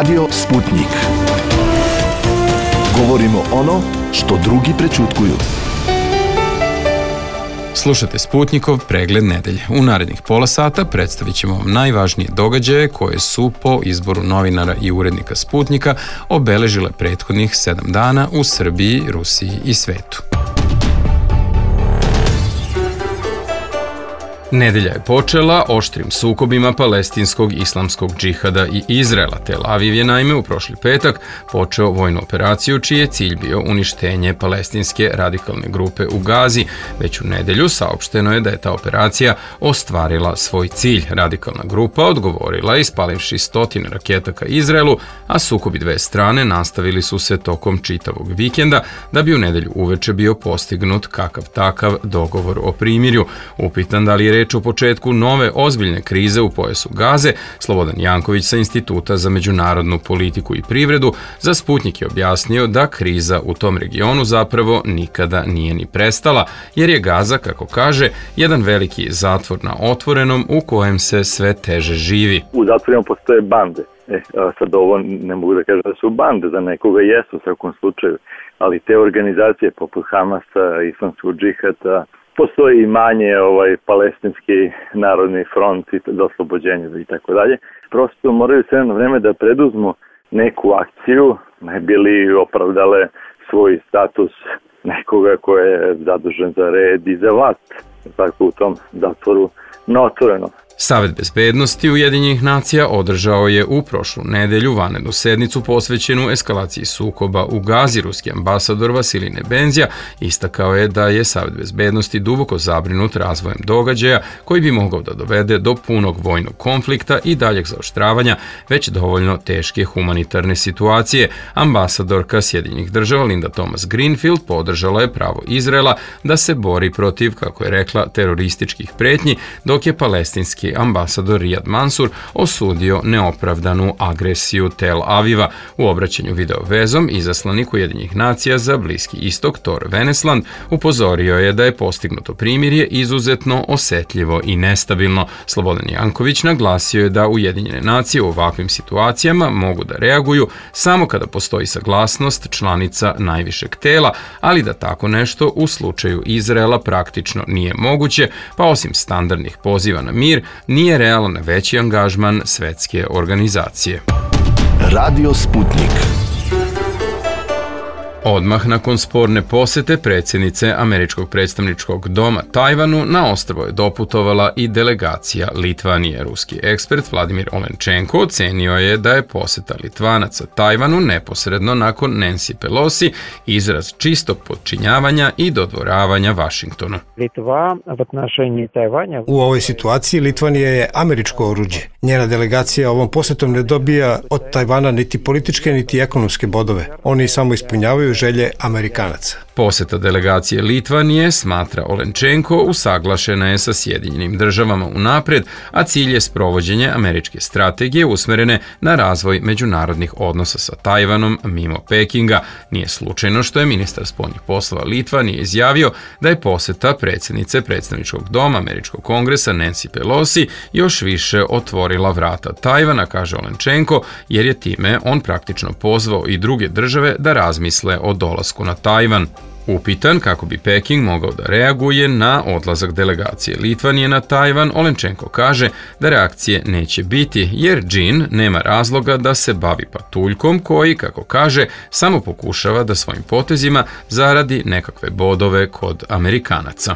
Radio Sputnik. Govorimo ono što drugi prećutkuju. Slušate Sputnikov pregled nedelje. U narednih pola sata predstavit ćemo vam najvažnije događaje koje su po izboru novinara i urednika Sputnika obeležile prethodnih 7 dana u Srbiji, Rusiji i svetu. Nedelja je počela oštrim sukobima palestinskog islamskog džihada i Izraela. Tel Aviv je naime u prošli petak počeo vojnu operaciju čiji je cilj bio uništenje palestinske radikalne grupe u Gazi. Već u nedelju saopšteno je da je ta operacija ostvarila svoj cilj. Radikalna grupa odgovorila ispalivši 100 raketa ka Izraelu, a sukobi dve strane nastavili su se tokom čitavog vikenda da bi u nedelju uveče bio postignut kakav takav dogovor o primirju. Upitan da li je reč o početku nove ozbiljne krize u pojasu Gaze, Slobodan Janković sa Instituta za međunarodnu politiku i privredu za Sputnik je objasnio da kriza u tom regionu zapravo nikada nije ni prestala, jer je Gaza, kako kaže, jedan veliki zatvor na otvorenom u kojem se sve teže živi. U zatvorima postoje bande. Sad ovo ne mogu da kažem da su bande, za nekoga jesu u svakom slučaju, ali te organizacije poput Hamasa, Islamskog džihada, postoji i manje palestinski narodni front za oslobođenje i tako dalje. Prosto moraju sve na vreme da preduzmu neku akciju, ne bi li opravdale svoj status nekoga ko je zadužen za red i za vlast, tako u tom zatvoru na otvoreno. Savet bezbednosti Ujedinjenih nacija održao je u prošlu nedelju vanrednu sednicu posvećenu eskalaciji sukoba u Gazi. Ruski ambasador Vasilij Nebenzija istakao je da je Savet bezbednosti duboko zabrinut razvojem događaja koji bi mogao da dovede do punog vojnog konflikta i daljeg zaoštravanja već dovoljno teške humanitarne situacije. Ambasadorka Sjedinjenih država Linda Thomas-Greenfield podržala je pravo Izraela da se bori protiv, kako je rekla, terorističkih pretnji, dok je palestinski ambasador Rijad Mansur osudio neopravdanu agresiju Tel Aviva. U obraćanju video vezom izaslanik Ujedinjenih nacija za Bliski istok Tor Venesland upozorio je da je postignuto primirje izuzetno osetljivo i nestabilno. Slobodan Janković naglasio je da Ujedinjene nacije u ovakvim situacijama mogu da reaguju samo kada postoji saglasnost članica najvišeg tela, ali da tako nešto u slučaju Izraela praktično nije moguće, pa osim standardnih poziva na mir, nije realan veći angažman svetske organizacije. Radio Sputnik. Odmah nakon sporne posete predsjednice Američkog predstavničkog doma Tajvanu na ostrvo je doputovala i delegacija Litvanije. Ruski ekspert Vladimir Olenčenko ocenio je da je poseta Litvanaca Tajvanu neposredno nakon Nancy Pelosi izraz čistog podčinjavanja i dodvoravanja Vašingtonu. U ovoj situaciji Litvanija je američko oruđe. Njena delegacija ovom posetom ne dobija od Tajvana niti političke niti ekonomske bodove. Oni samo ispunjavaju želje Amerikanaca. Poseta delegacije Litvanije, smatra Olenčenko, usaglašena je sa Sjedinjenim državama unapred, a cilj je sprovođenje američke strategije usmerene na razvoj međunarodnih odnosa sa Tajvanom mimo Pekinga. Nije slučajno što je ministar spoljnih poslova Litvanije izjavio da je poseta predsjednice predstavničkog doma Američkog kongresa Nancy Pelosi još više otvorila vrata Tajvana, kaže Olenčenko, jer je time on praktično pozvao i druge države da razmisle o dolasku na Tajvan. Upitan kako bi Peking mogao da reaguje na odlazak delegacije Litvanije na Tajvan, Olenčenko kaže da reakcije neće biti, jer džin nema razloga da se bavi patuljkom koji, kako kaže, samo pokušava da svojim potezima zaradi nekakve bodove kod Amerikanaca.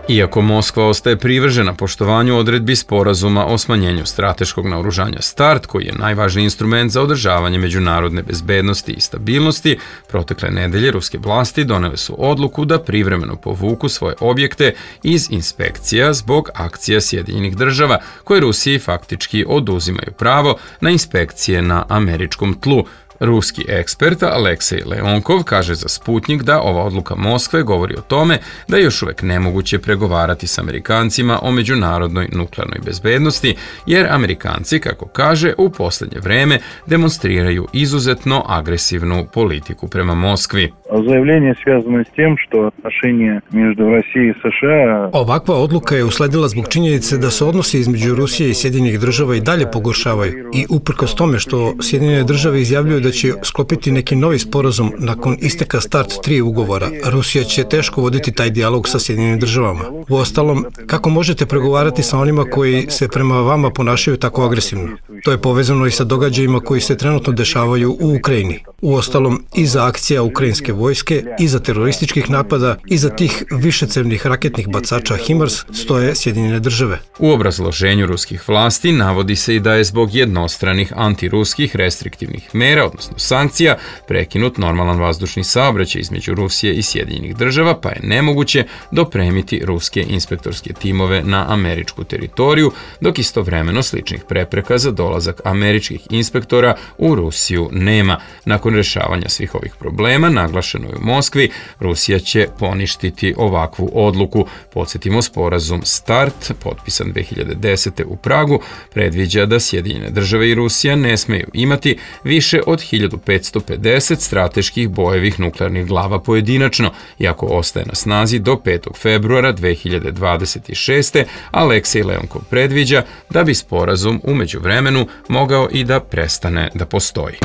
Iako Moskva ostaje privržena poštovanju odredbi sporazuma o smanjenju strateškog naoružanja START, koji je najvažniji instrument za održavanje međunarodne bezbednosti i stabilnosti, protekle nedelje ruske vlasti donele su odluku da privremeno povuku svoje objekte iz inspekcija zbog akcija Sjedinjenih država, koje Rusiji faktički oduzimaju pravo na inspekcije na američkom tlu. Ruski ekspert Aleksej Leonkov kaže za Sputnik da ova odluka Moskve govori o tome da je još uvek nemoguće pregovarati s Amerikancima o međunarodnoj nuklearnoj bezbednosti, jer Amerikanci, kako kaže, u poslednje vreme demonstriraju izuzetno agresivnu politiku prema Moskvi. Заявление связано с тем, что отношения между Россией и США... Ovakva odluka je usledila zbog činjenice da se odnosi između Rusije i Sjedinjenih država i dalje pogoršavaju i uprkos tome što Sjedinjene države izjavljuju da će sklopiti neki novi sporazum nakon isteka START 3 ugovora, Rusija će teško voditi taj dijalog sa Sjedinjenim državama. Uostalom, kako možete pregovarati sa onima koji se prema vama ponašaju tako agresivno? To je povezano i sa događajima koji se trenutno dešavaju u Ukrajini. Uostalom, iza akcija ukrajinske vojske, iza terorističkih napada, iza tih višecevnih raketnih bacača HIMARS stoje Sjedinjene države. U obrazloženju ruskih vlasti navodi se i da je zbog jednostranih antiruskih restriktivnih mera, odnosno sankcija, prekinut normalan vazdušni saobraćaj između Rusije i Sjedinjenih država, pa je nemoguće dopremiti ruske inspektorske timove na američku teritoriju, dok istovremeno sličnih prepreka za dolazak američkih inspektora u Rusiju nema. Nakon rešavanja svih ovih problema, naglašeno je u Moskvi, Rusija će poništiti ovakvu odluku. Podsjetimo, sporazum START, potpisan 2010. u Pragu, predviđa da Sjedinjene države i Rusija ne smeju imati više od 1550 strateških bojevih nuklearnih glava pojedinačno, iako ostaje na snazi do 5. februara 2026. Aleksej Leonkov predviđa da bi sporazum u međuvremenu mogao i da prestane da postoji.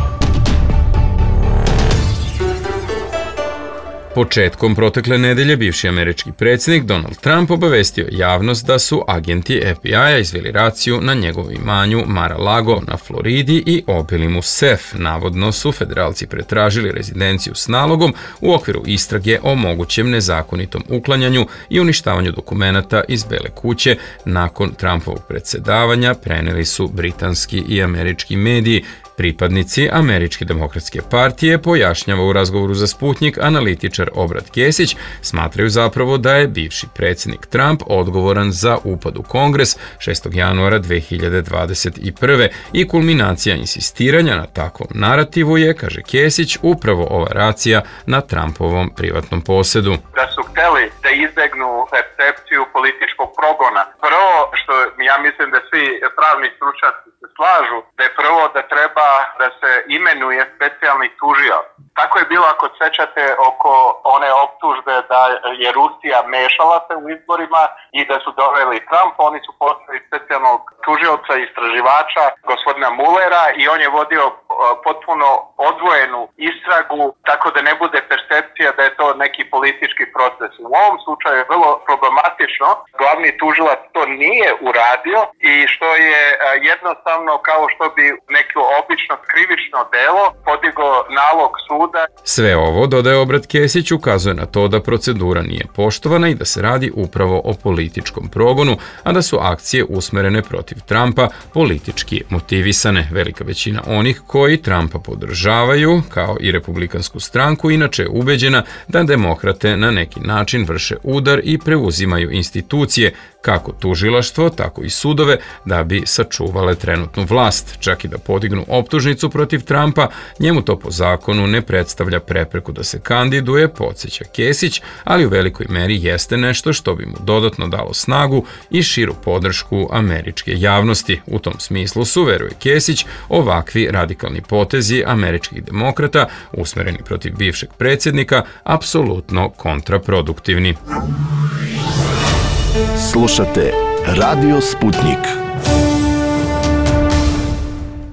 Početkom protekle nedelje bivši američki predsjednik Donald Trump obavestio javnost da su agenti FBI-a izveli raciju na njegovom imanju Mar-a-Lago na Floridi i obili mu sef. Navodno su federalci pretražili rezidenciju s nalogom u okviru istrage o mogućem nezakonitom uklanjanju i uništavanju dokumenata iz Bele kuće. Nakon Trumpovog predsjedavanja preneli su britanski i američki mediji. Pripadnici Američke demokratske partije, pojašnjava u razgovoru za Sputnik analitičar Obrat Kesić, smatraju zapravo da je bivši predsjednik Trump odgovoran za upad u Kongres 6. januara 2021. i kulminacija insistiranja na takvom narativu je, kaže Kesić, upravo ova racija na Trumpovom privatnom posedu. Da su hteli da izbegnu percepciju političkog progona. Prvo, što ja mislim da svi pravni stručnjaci se slažu, da je prvo da treba da se imenuje specijalni tužilac. Tako je bilo, ako sećate, oko one optužbe da je Rusija mešala se u izborima i da su doveli Trump. Oni su postavili specijalnog tužioca i istraživača, gospodina Mullera, i on je vodio potpuno odvojenu istragu, tako da ne bude percepcija da je to neki politički proces. U ovom slučaju je vrlo problematično. Glavni tužilac to nije uradio i što je jednostavno kao što bi neko obično krivično delo podigao nalog suda. Sve ovo, dodaje Obrat Kesić, ukazuje na to da procedura nije poštovana i da se radi upravo o političkom progonu, a da su akcije usmerene protiv Trumpa politički motivisane. Velika većina onih koji Trumpa podržavaju, kao i Republikansku stranku, inače je ubeđena da demokrate na neki način vrše udar i preuzimaju institucije, kako tužilaštvo, tako i sudove, da bi sačuvale trenutnu vlast. Čak i da podignu optužnicu protiv Trumpa, njemu to po zakonu ne predstavlja prepreku da se kandiduje, podsjeća Kesić, ali u velikoj meri jeste nešto što bi mu dodatno dalo snagu i širu podršku američke javnosti. U tom smislu su, veruje Kesić, ovakvi radikalni potezi američkih demokrata, usmereni protiv bivšeg predsjednika, apsolutno kontraproduktivni. Slušate Radio Sputnik.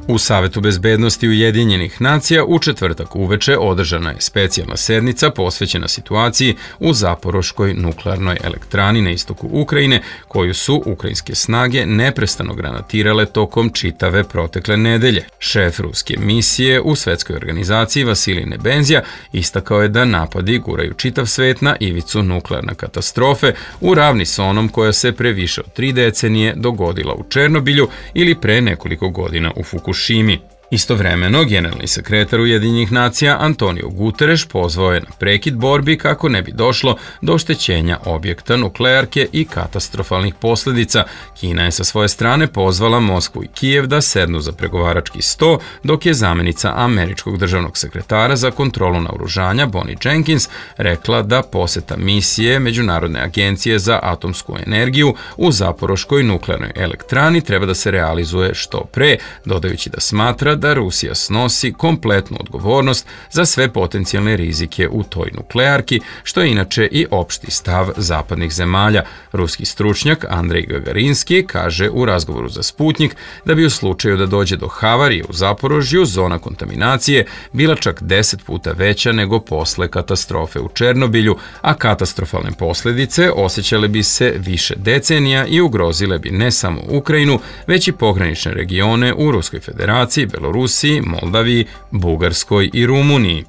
U Savetu bezbednosti Ujedinjenih nacija u četvrtak uveče održana je specijalna sednica posvećena situaciji u Zaporoškoj nuklearnoj elektrani na istoku Ukrajine, koju su ukrajinske snage neprestano granatirale tokom čitave protekle nedelje. Šef ruske misije u svetskoj organizaciji Vasilij Nebenzija istakao je da napadi guraju čitav svet na ivicu nuklearne katastrofe u ravni s onom koja se pre više od 3 decenije dogodila u Černobilju ili pre nekoliko godina u Fukushimi. Istovremeno, generalni sekretar Ujedinjenih nacija Antonio Guterres pozvao je na prekid borbi kako ne bi došlo do oštećenja objekta nuklearke i katastrofalnih posljedica. Kina je sa svoje strane pozvala Moskvu i Kijev da sednu za pregovarački sto, dok je zamjenica američkog državnog sekretara za kontrolu naoružanja Bonnie Jenkins rekla da poseta misije Međunarodne agencije za atomsku energiju u Zaporoškoj nuklearnoj elektrani treba da se realizuje što pre, dodajući da smatra da Rusija snosi kompletnu odgovornost za sve potencijalne rizike u toj nuklearki, što je inače i opšti stav zapadnih zemalja. Ruski stručnjak Andrej Gagarinski kaže u razgovoru za Sputnik da bi u slučaju da dođe do havarije u Zaporožju zona kontaminacije bila čak 10 puta veća nego posle katastrofe u Černobilju, a katastrofalne posljedice osjećale bi se više decenija i ugrozile bi ne samo Ukrajinu, već i pogranične regione u Ruskoj federaciji, Belorusiji, Moldaviji, Bugarskoj i Rumuniji.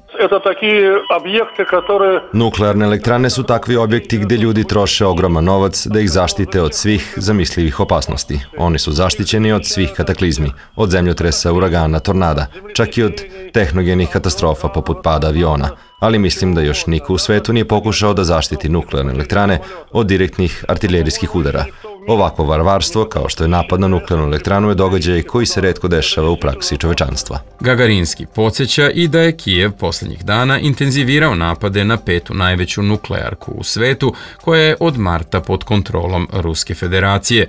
Nuklearne elektrane su takvi objekti gdje ljudi troše ogroman novac da ih zaštite od svih zamislivih opasnosti. Oni su zaštićeni od svih kataklizmi, od zemljotresa, uragana, tornada, čak i od tehnogenih katastrofa poput pada aviona. Ali mislim da još niko u svetu nije pokušao da zaštiti nuklearne elektrane od direktnih artiljerijskih udara. Ovakvo varvarstvo, kao što je napad na nuklearnu elektranu, je događaj koji se retko dešava u praksi čovečanstva. Gagarinski podsjeća i da je Kijev posljednjih dana intenzivirao napade na petu najveću nuklearku u svetu, koja je od marta pod kontrolom Ruske federacije.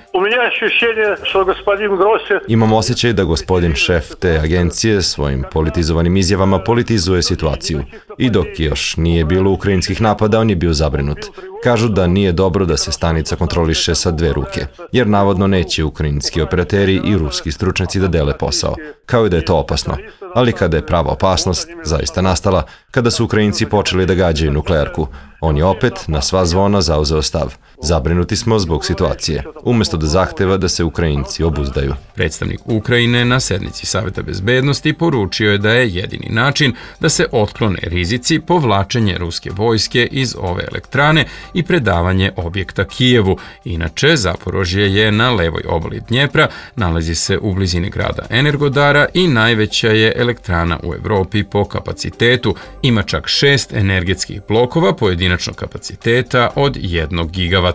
Imam osjećaj da gospodin šef te agencije svojim politizovanim izjavama politizuje situaciju. I dok još nije bilo ukrajinskih napada, on je bio zabrinut. Kažu da nije dobro da se stanica kontroliše sa dve ruke, jer navodno neće ukrajinski operateri i ruski stručnjaci da dele posao, kao i da je to opasno. Ali kada je prava opasnost zaista nastala, kada su Ukrajinci počeli da gađaju nuklearku, on je opet na sva zvona zauzeo stav. Zabrinuti smo zbog situacije, umjesto da zahteva da se Ukrajinci obuzdaju. Predstavnik Ukrajine na sednici Saveta bezbednosti poručio je da je jedini način da se otklone rizici povlačenje ruske vojske iz ove elektrane i predavanje objekta Kijevu. Inače, Zaporožje je na levoj obali Dnjepra, nalazi se u blizini grada Energodara i najveća je elektrana u Evropi po kapacitetu. Ima čak 6 energetskih blokova pojedinačnog kapaciteta od 1 gigavata.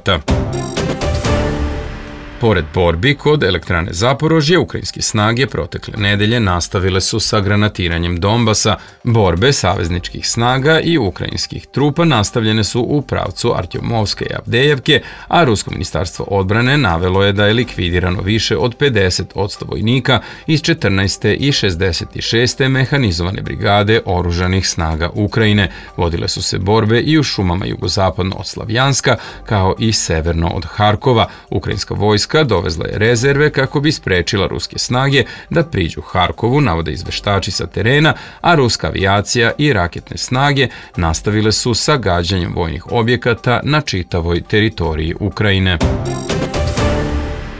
Pored borbi kod elektrane Zaporožje, ukrajinske snage protekle nedelje nastavile su sa granatiranjem Donbasa. Borbe savezničkih snaga i ukrajinskih trupa nastavljene su u pravcu Artjomovske i Avdejevke, a Rusko ministarstvo odbrane navelo je da je likvidirano više od 50% vojnika iz 14. i 66. mehanizovane brigade oružanih snaga Ukrajine. Vodile su se borbe i u šumama jugozapadno od Slavjanska, kao i severno od Harkova. Ukrajinska vojska dovezla je rezerve kako bi sprečila ruske snage da priđu Harkovu, navode izveštači sa terena, a ruska avijacija i raketne snage nastavile su sa gađanjem vojnih objekata na čitavoj teritoriji Ukrajine.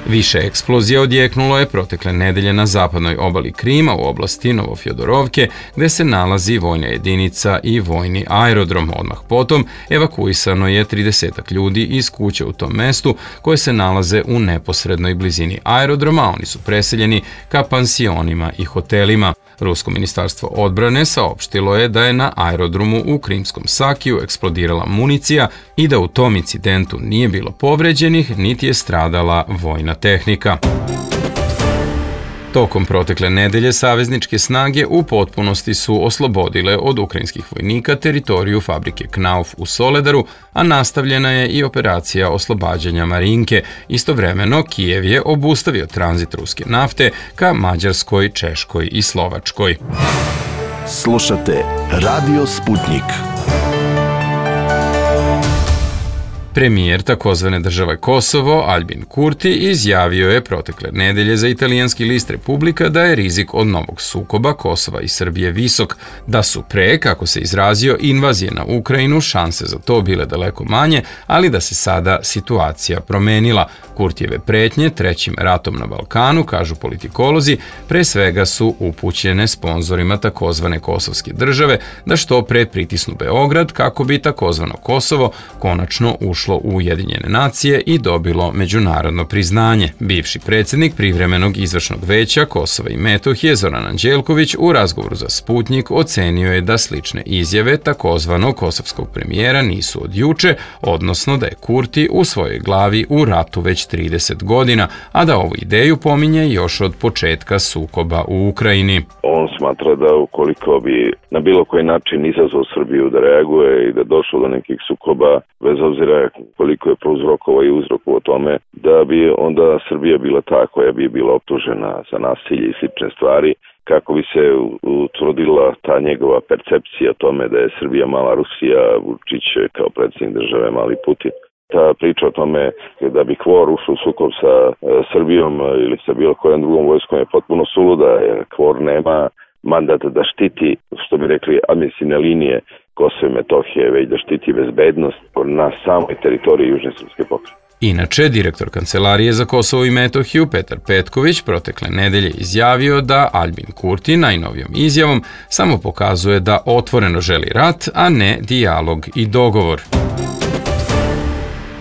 Više eksplozija odjeknulo je protekle nedelje na zapadnoj obali Krima u oblasti Novofjodorovke, gde se nalazi vojna jedinica i vojni aerodrom. Odmah potom evakuisano je 30 ljudi iz kuće u tom mestu koje se nalaze u neposrednoj blizini aerodroma. Oni su preseljeni ka pansionima i hotelima. Rusko ministarstvo odbrane saopštilo je da je na aerodromu u Krimskom Sakiju eksplodirala municija i da u tom incidentu nije bilo povređenih, niti je stradala vojna tehnika. Tokom protekle nedelje savezničke snage u potpunosti su oslobodile od ukrajinskih vojnika teritoriju fabrike Knauf u Soledaru, a nastavljena je i operacija oslobađanja Marinke. Istovremeno, Kijev je obustavio tranzit ruske nafte ka Mađarskoj, Češkoj i Slovačkoj. Slušate Radio Sputnik. Premijer takozvane države Kosovo, Albin Kurti, izjavio je protekle nedelje za italijanski list Republika da je rizik od novog sukoba Kosova i Srbije visok, da su pre, kako se izrazio, invazije na Ukrajinu šanse za to bile daleko manje, ali da se sada situacija promenila. Kurtijeve pretnje trećim ratom na Balkanu, kažu politikolozi, pre svega su upućene sponzorima takozvane kosovske države da što pre pritisnu Beograd kako bi takozvano Kosovo konačno ušlo ušlo u Ujedinjene nacije i dobilo međunarodno priznanje. Bivši predsjednik privremenog izvršnog veća Kosova i Metohije Zoran Anđelković u razgovoru za Sputnjik ocenio je da slične izjave takozvanog kosovskog premijera nisu od juče, odnosno da je Kurti u svojoj glavi u ratu već 30 godina, a da ovu ideju pominje još od početka sukoba u Ukrajini. On smatra da ukoliko bi na bilo koji način izazvao Srbiju da reaguje i da došlo do nekih sukoba, bez obzira koliko je prouzrokovao i uzrokovao tome, da bi onda Srbija bila ta koja bi bila optužena za nasilje i slične stvari, kako bi se utvrdila ta njegova percepcija o tome da je Srbija mala Rusija, Vučić kao predsjednik države mali Putin. Ta priča o tome da bi KFOR ušao u sukob sa Srbijom ili sa bilo kojom drugom vojskom je potpuno suluda, jer KFOR nema mandat da štiti, što bi rekli, administrativne linije Kosova i Metohije, već da štiti bezbednost na samoj teritoriji Južne srpske pokrajine. Inače, direktor Kancelarije za Kosovo i Metohiju Petar Petković protekle nedelje izjavio da Aljbin Kurti najnovijom izjavom samo pokazuje da otvoreno želi rat, a ne dijalog i dogovor.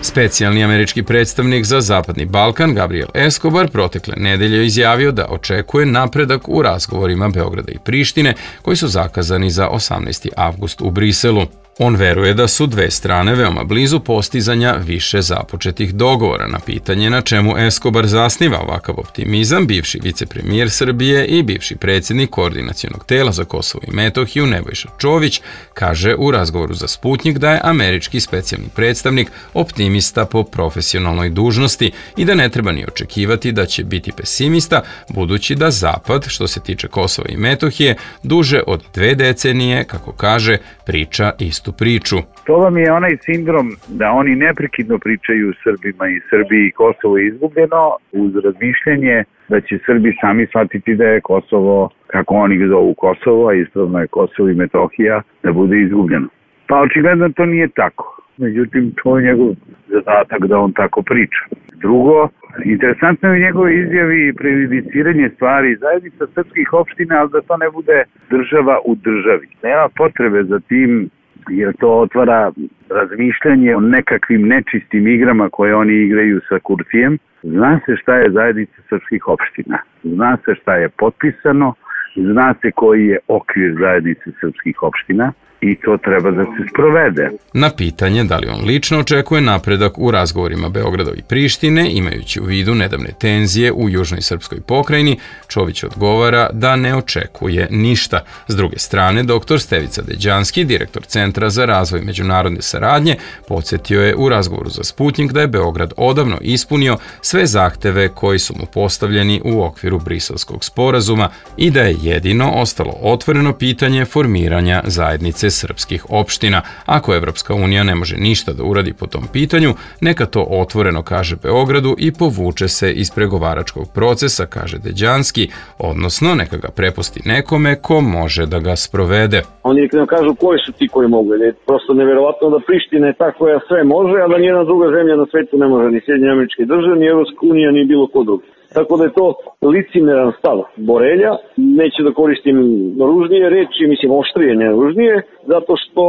Specijalni američki predstavnik za Zapadni Balkan Gabriel Escobar protekle nedelje izjavio da očekuje napredak u razgovorima Beograda i Prištine koji su zakazani za 18. avgust u Briselu. On veruje da su dve strane veoma blizu postizanja više započetih dogovora. Na pitanje na čemu Escobar zasniva ovakav optimizam, bivši vicepremijer Srbije i bivši predsjednik Koordinacionog tela za Kosovo i Metohiju Nebojša Čović kaže u razgovoru za Sputnjik da je američki specijalni predstavnik optimista po profesionalnoj dužnosti i da ne treba ni očekivati da će biti pesimista, budući da Zapad, što se tiče Kosova i Metohije, duže od 2 decenije, kako kaže, priča istu priču. To vam je onaj sindrom da oni neprekidno pričaju Srbima i Srbiji Kosovo je izgubljeno uz razmišljanje da će Srbi sami shvatiti da je Kosovo, kako oni ga zovu Kosovo, a ispravno je Kosovo i Metohija, da bude izgubljeno. Pa očigledno to nije tako. Međutim, to je njegov zadatak da on tako priča. Drugo, interesantno je u njegove izjavi i prejudiciranje stvari zajednica srpskih opština, ali da to ne bude država u državi. Nema potrebe za tim, jer to otvara razmišljanje o nekakvim nečistim igrama koje oni igraju sa Kurtijem. Zna se šta je zajednica srpskih opština. Zna se šta je potpisano, zna se koji je okvir zajednice srpskih opština. I to treba da se sprovede. Na pitanje da li on lično očekuje napredak u razgovorima Beograda i Prištine, imajući u vidu nedavne tenzije u južnoj srpskoj pokrajini, Čović odgovara da ne očekuje ništa. S druge strane, dr. Stevica Deđanski, direktor Centra za razvoj međunarodne saradnje, podsjetio je u razgovoru za Sputnjik da je Beograd odavno ispunio sve zahteve koji su mu postavljeni u okviru Briselskog sporazuma i da je jedino ostalo otvoreno pitanje formiranja zajednice srpskih opština. Ako Evropska unija ne može ništa da uradi po tom pitanju, neka to otvoreno kaže Beogradu i povuče se iz pregovaračkog procesa, kaže Deđanski, odnosno neka ga prepusti nekome ko može da ga sprovede. Oni nekako kažu koji su ti koji mogu. Je prosto neverovatno da Priština je ta koja sve može, a da nijedna druga zemlja na svetu ne može, ni Sjedinjene Američke Države, ni Evropska unija, ni bilo ko drugi. Tako da je to licimeran stav Borelja. Neću da koristim ružnije reči, mislim oštrije, ne ružnije, zato što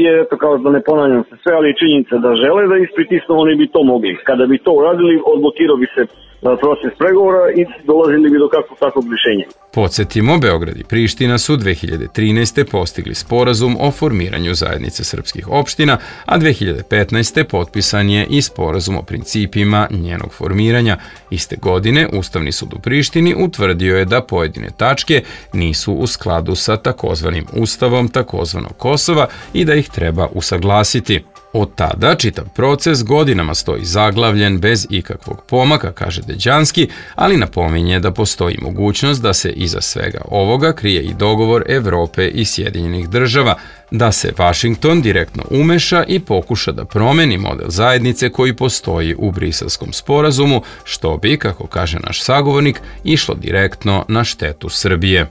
je, eto kao da ne ponavljam se sve, ali činjenica da žele da ispritisnu, oni bi to mogli. Kada bi to uradili, odblokirao bi se proces pregovora i dolazili bi do takvog rješenja. Podsjetimo, Beograd i Priština su 2013. postigli sporazum o formiranju zajednice srpskih opština, a 2015. potpisan je i sporazum o principima njenog formiranja. Iste godine Ustavni sud u Prištini utvrdio je da pojedine tačke nisu u skladu sa takozvanim Ustavom takozvanog Kosova i da ih treba usaglasiti. Od tada čitav proces godinama stoji zaglavljen bez ikakvog pomaka, kaže Deđanski, ali napominje da postoji mogućnost da se iza svega ovoga krije i dogovor Evrope i Sjedinjenih država, da se Vašington direktno umeša i pokuša da promeni model zajednice koji postoji u Briselskom sporazumu, što bi, kako kaže naš sagovornik, išlo direktno na štetu Srbije.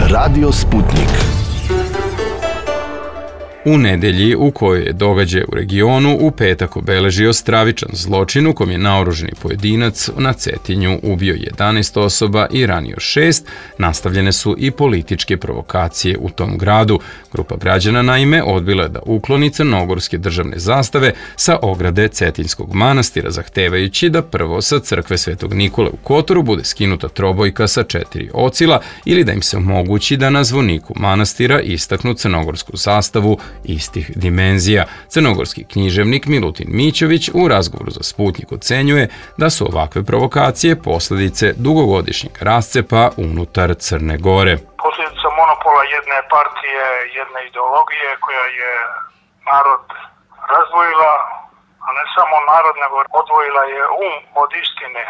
Radio Sputnik. U nedelji u kojoj je događaj u regionu u petak obeležio stravičan zločin u kom je naoruženi pojedinac na Cetinju ubio 11 osoba i ranio 6, nastavljene su i političke provokacije u tom gradu. Grupa građana naime odbila je da ukloni crnogorske državne zastave sa ograde Cetinskog manastira, zahtevajući da prvo sa crkve Svetog Nikole u Kotoru bude skinuta trobojka sa 4 ocila ili da im se omogući da na zvoniku manastira istaknu crnogorsku zastavu istih dimenzija. Crnogorski književnik Milutin Mićović u razgovoru za Sputnik ocenjuje da su ovakve provokacije posljedice dugogodišnjeg rascepa unutar Crne Gore. Posljedica monopola jedne partije, jedne ideologije koja je narod razdvojila, a ne samo narod, nego odvojila je od istine.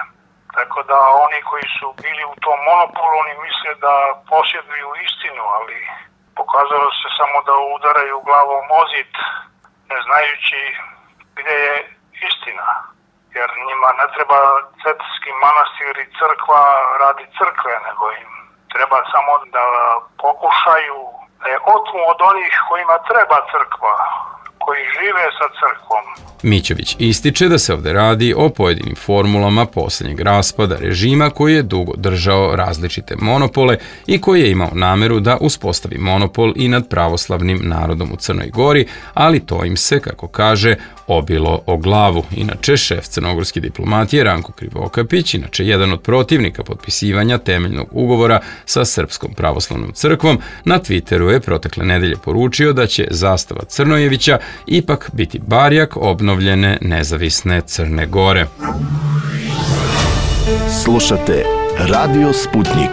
Tako da oni koji su bili u tom monopolu, oni misle da posjeduju istinu, ali pokazalo se samo da udaraju glavom o zid, ne znajući gdje je istina. Jer njima ne treba Cetinski manastir i crkva radi crkve, nego im treba samo da pokušaju da je otmu od onih kojima treba crkva, koji žive sa crkvom. Mićović ističe da se ovde radi o pojedinim formulama posljednjeg raspada režima koji je dugo držao različite monopole i koji je imao nameru da uspostavi monopol i nad pravoslavnim narodom u Crnoj Gori, ali to im se, kako kaže, obilo o glavu. Inače, šef crnogorske diplomatije Ranko Krivokapić, inače jedan od protivnika potpisivanja temeljnog ugovora sa Srpskom pravoslavnom crkvom, na Twitteru je protekle nedelje poručio da će zastava Crnojevića ipak biti barjak obnovljene nezavisne Crne Gore. Slušate Radio Sputnik.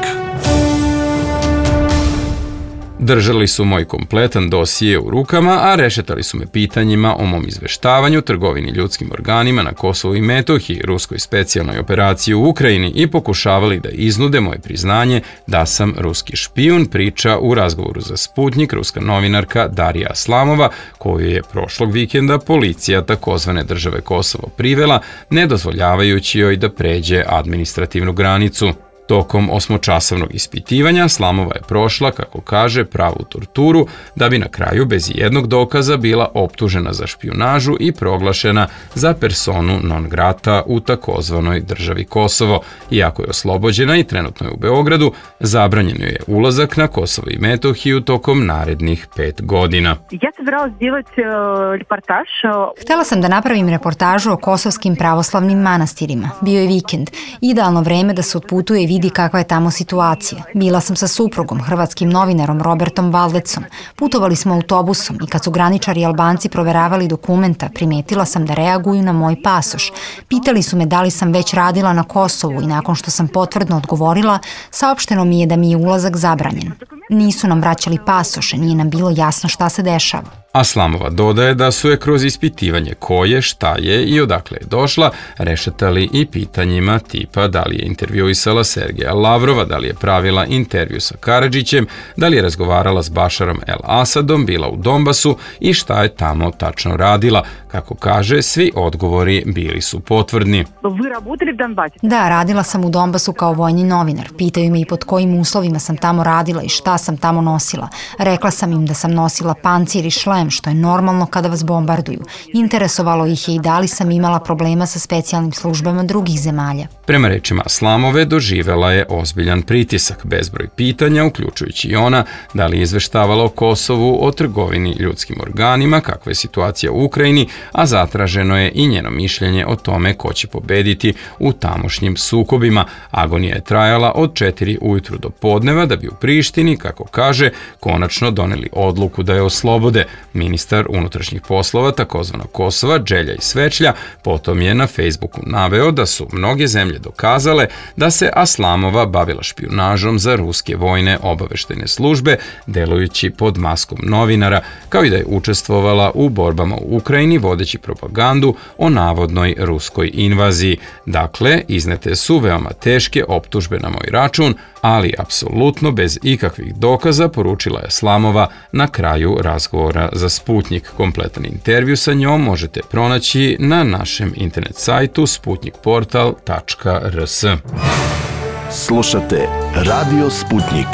Držali su moj kompletan dosije u rukama, a rešetali su me pitanjima o mom izveštavanju, trgovini ljudskim organima na Kosovu i Metohiji, ruskoj specijalnoj operaciji u Ukrajini i pokušavali da iznude moje priznanje da sam ruski špijun, priča u razgovoru za Sputnik ruska novinarka Darija Aslamova, koju je prošlog vikenda policija takozvane države Kosovo privela, ne dozvoljavajući joj da pređe administrativnu granicu. Tokom 8-časovnog ispitivanja Aslamova je prošla, kako kaže, pravu torturu, da bi na kraju bez jednog dokaza bila optužena za špijunažu i proglašena za personu non grata u takozvanoj državi Kosovo. Iako je oslobođena i trenutno je u Beogradu, zabranjen joj je ulazak na Kosovo i Metohiju tokom narednih 5 godina. Htela sam da napravim reportažu o kosovskim pravoslavnim manastirima. Bio je vikend, idealno vreme da se otputuje i vidi kakva je tamo situacija. Bila sam sa suprugom, hrvatskim novinarom Robertom Valdecom. Putovali smo autobusom i kad su graničari i Albanci proveravali dokumenta, primetila sam da reaguju na moj pasoš. Pitali su me da li sam već radila na Kosovu i nakon što sam potvrdno odgovorila, saopšteno mi je da mi je ulazak zabranjen. Nisu nam vraćali pasoše, nije nam bilo jasno šta se dešava. Aslamova dodaje da su je kroz ispitivanje ko je, šta je i odakle je došla rešetali i pitanjima tipa da li je intervjuisala Sergeja Lavrova, da li je pravila intervju sa Karadžićem, da li je razgovarala s Bašarom El Asadom, bila u Donbasu i šta je tamo tačno radila. Kako kaže, svi odgovori bili su potvrdni. Da, radila sam u Donbasu kao vojni novinar. Pitaju me i pod kojim uslovima sam tamo radila i šta sam tamo nosila. Rekla sam im da sam nosila pancir i šlem, što je normalno kada vas bombarduju. Interesovalo ih je i da li sam imala problema sa specijalnim službama drugih zemalja. Prema rečima Aslamove, doživela je ozbiljan pritisak, bezbroj pitanja, uključujući i ona da li je izveštavala o Kosovu, o trgovini ljudskim organima, kakva je situacija u Ukrajini, a zatraženo je i njeno mišljenje o tome ko će pobediti u tamošnjim sukobima. Agonija je trajala od 4 ujutru do podneva da bi u Prištini, kako kaže, konačno doneli odluku da je oslobode. Ministar unutrašnjih poslova takozvanog Kosova, Đelja Svečlja, potom je na Facebooku naveo da su mnoge zemlje dokazale da se Aslamova bavila špijunažom za ruske vojne obaveštajne službe, delujući pod maskom novinara, kao i da je učestvovala u borbama u Ukrajini vodeći propagandu o navodnoj ruskoj invaziji. Dakle, iznete su veoma teške optužbe na moj račun, ali apsolutno bez ikakvih dokaza, poručila je Aslamova na kraju razgovora za Sputnik. Kompletan intervju sa njom možete pronaći na našem internet sajtu sputnikportal.rs. Slušate Radio Sputnik.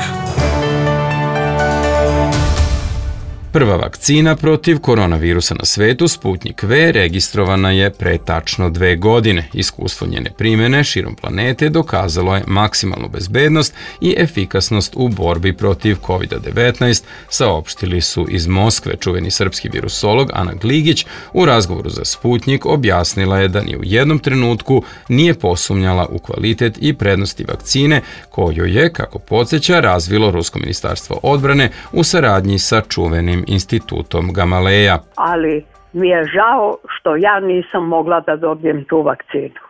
Prva vakcina protiv koronavirusa na svetu, Sputnik V, registrovana je pre tačno 2 godine. Iskustvo njene primjene širom planete dokazalo je maksimalnu bezbednost i efikasnost u borbi protiv COVID-19, saopštili su iz Moskve. Čuveni srpski virusolog Ana Gligić u razgovoru za Sputnik objasnila je da ni u jednom trenutku nije posumnjala u kvalitet i prednosti vakcine koju je, kako podsjeća, razvilo Rusko ministarstvo odbrane u saradnji sa čuvenim institutom Gamaleja. Ali mi je žao što ja nisam mogla da dobijem tu vakcinu.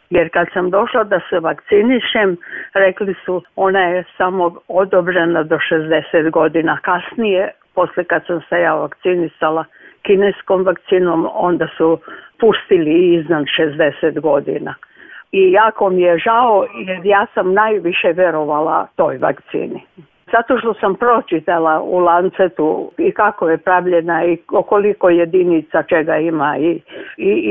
Jer kad sam došla da se vakcinišem, rekli su ona je samo odobrena do 60 godina. Kasnije, posle kad sam se ja vakcinisala kineskom vakcinom, onda su pustili iznad 60 godina. I jako mi je žao jer ja sam najviše verovala toj vakcini. Zato što sam pročitala u Lancetu i kako je pravljena i koliko jedinica čega ima i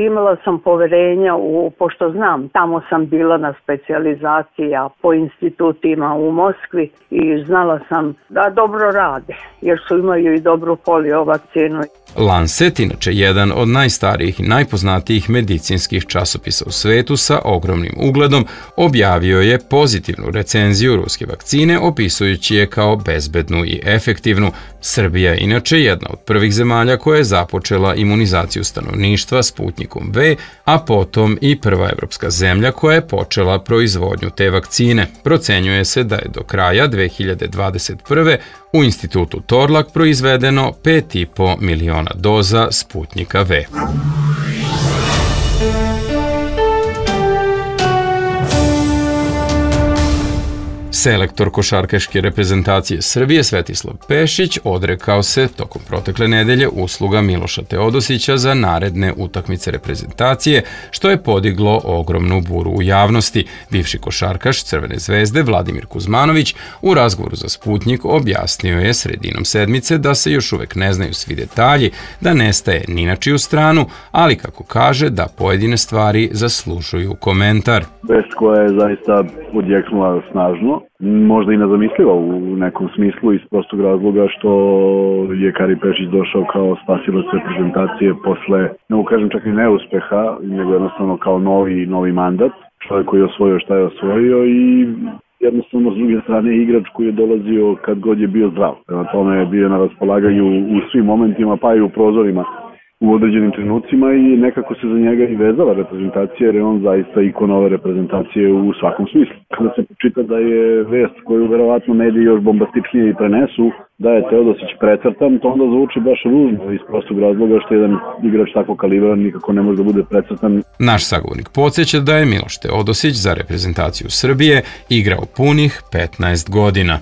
imala sam poverenja pošto znam, tamo sam bila na specijalizacija po institutima u Moskvi i znala sam da dobro rade jer imaju i dobru polio vakcinu. Lancet, inače jedan od najstarijih i najpoznatijih medicinskih časopisa u svetu sa ogromnim ugledom, objavio je pozitivnu recenziju ruske vakcine opisujući je kao bezbednu i efektivnu. Srbija je inače jedna od prvih zemalja koja je započela imunizaciju stanovništva Sputnikom V, a potom i prva evropska zemlja koja je počela proizvodnju te vakcine. Procenjuje se da je do kraja 2021. u institutu Torlak proizvedeno 5,5 miliona doza Sputnika V. Selektor košarkaške reprezentacije Srbije Svetislav Pešić odrekao se tokom protekle nedelje usluga Miloša Teodosića za naredne utakmice reprezentacije, što je podiglo ogromnu buru u javnosti. Bivši košarkaš Crvene zvezde Vladimir Kuzmanović u razgovoru za Sputnik objasnio je sredinom sedmice da se još uvek ne znaju svi detalji, da ne staje ni na čiju stranu, ali kako kaže da pojedine stvari zaslužuju komentar. Vest koja je zaista odjeknula snažno, možda i nezamisliva u nekom smislu iz prostog razloga što je Kari Pešić došao kao spasilac reprezentacije posle, ne kažem čak i neuspeha, nego jednostavno kao novi mandat. Čovjek koji je osvojio šta je osvojio i jednostavno s druge strane igrač koji je dolazio kad god je bio zdrav. Prema tome je bio na raspolaganju u svim momentima pa i u prozorima u određenim trenucima i nekako se za njega i vezala reprezentacija jer je on zaista ikon ove reprezentacije u svakom smislu. Kada se počita da je vest koju verovatno mediji još bombastičnije i prenesu, da je Teodosić precrtan, to onda zvuči baš ružno iz prostog razloga što jedan igrač tako kalibra nikako ne može da bude precrtan. Naš sagovornik podsjeća da je Miloš Teodosić za reprezentaciju Srbije igrao punih 15 godina.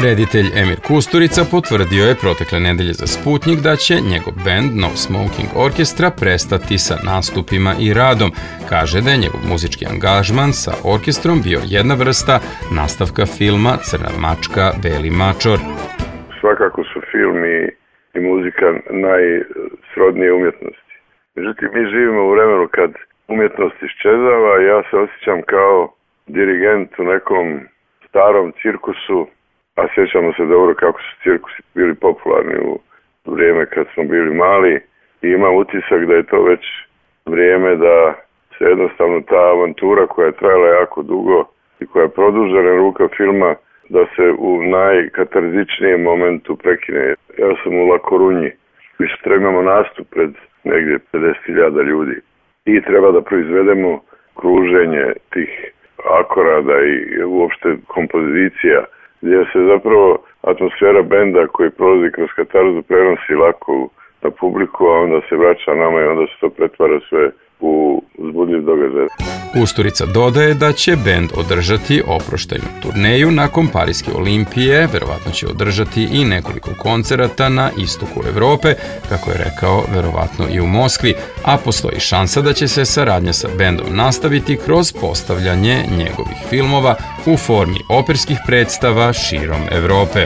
Reditelj Emir Kusturica potvrdio je protekle nedelje za Sputnik da će njegov bend No Smoking Orkestra prestati sa nastupima i radom. Kaže da je njegov muzički angažman sa orkestrom bio jedna vrsta nastavka filma Crna mačka, Beli mačor. Svakako su film i muzika najsrodnije umjetnosti. Međutim, mi živimo u vremenu kad umjetnost iščezava i ja se osjećam kao dirigent u nekom starom cirkusu. A sjećamo se dobro kako su cirkusi bili popularni u vrijeme kad smo bili mali i imam utisak da je to već vrijeme da se jednostavno ta avantura koja je trajala jako dugo i koja je produžena ruka filma da se u najkatarzičnijem momentu prekine. Ja sam u La Corunji i sutra imamo nastup pred negdje 50.000 ljudi i treba da proizvedemo kruženje tih akorada i uopšte kompozicija gdje se zapravo atmosfera benda koji prolazi kroz katarzu prenosi lako na publiku, a onda se vraća nama i onda se to pretvara sve u uzbudljiv događaj. Kusturica dodaje da će bend održati oproštajnu turneju nakon Pariske olimpije, verovatno će održati i nekoliko koncerata na istoku Evrope, kako je rekao, verovatno i u Moskvi, a postoji šansa da će se saradnja sa bendom nastaviti kroz postavljanje njegovih filmova u formi operskih predstava širom Evrope.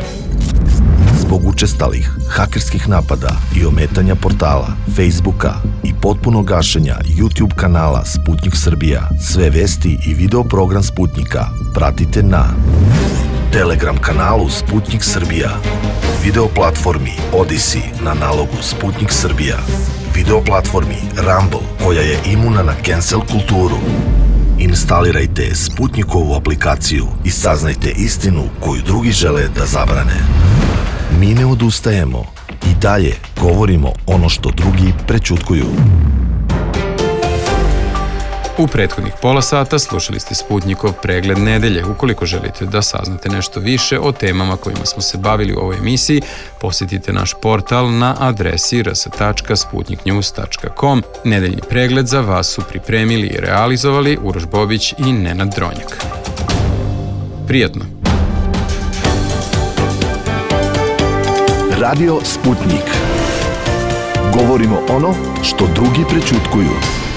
Zbog učestalih hakerskih napada i ometanja portala, Facebooka i potpunog gašenja YouTube kanala Sputnik Srbija, sve vesti i video program Sputnika pratite na Telegram kanalu Sputnik Srbija, video platformi Odyssey na nalogu Sputnik Srbija, video platformi Rumble koja je imuna na cancel kulturu. Instalirajte Sputnikovu aplikaciju i saznajte istinu koju drugi žele da zabrane. Mi ne odustajemo i dalje govorimo ono što drugi prećutkuju. U prethodnih pola sata slušali ste Sputnikov pregled nedelje. Ukoliko želite da saznate nešto više o temama kojima smo se bavili u ovoj emisiji, posjetite naš portal na adresi rs.sputniknews.com. Nedeljni pregled za vas su pripremili i realizovali Uroš Bobić i Nenad Dronjak. Prijatno! Radio Sputnik. Govorimo ono što drugi prećutkuju.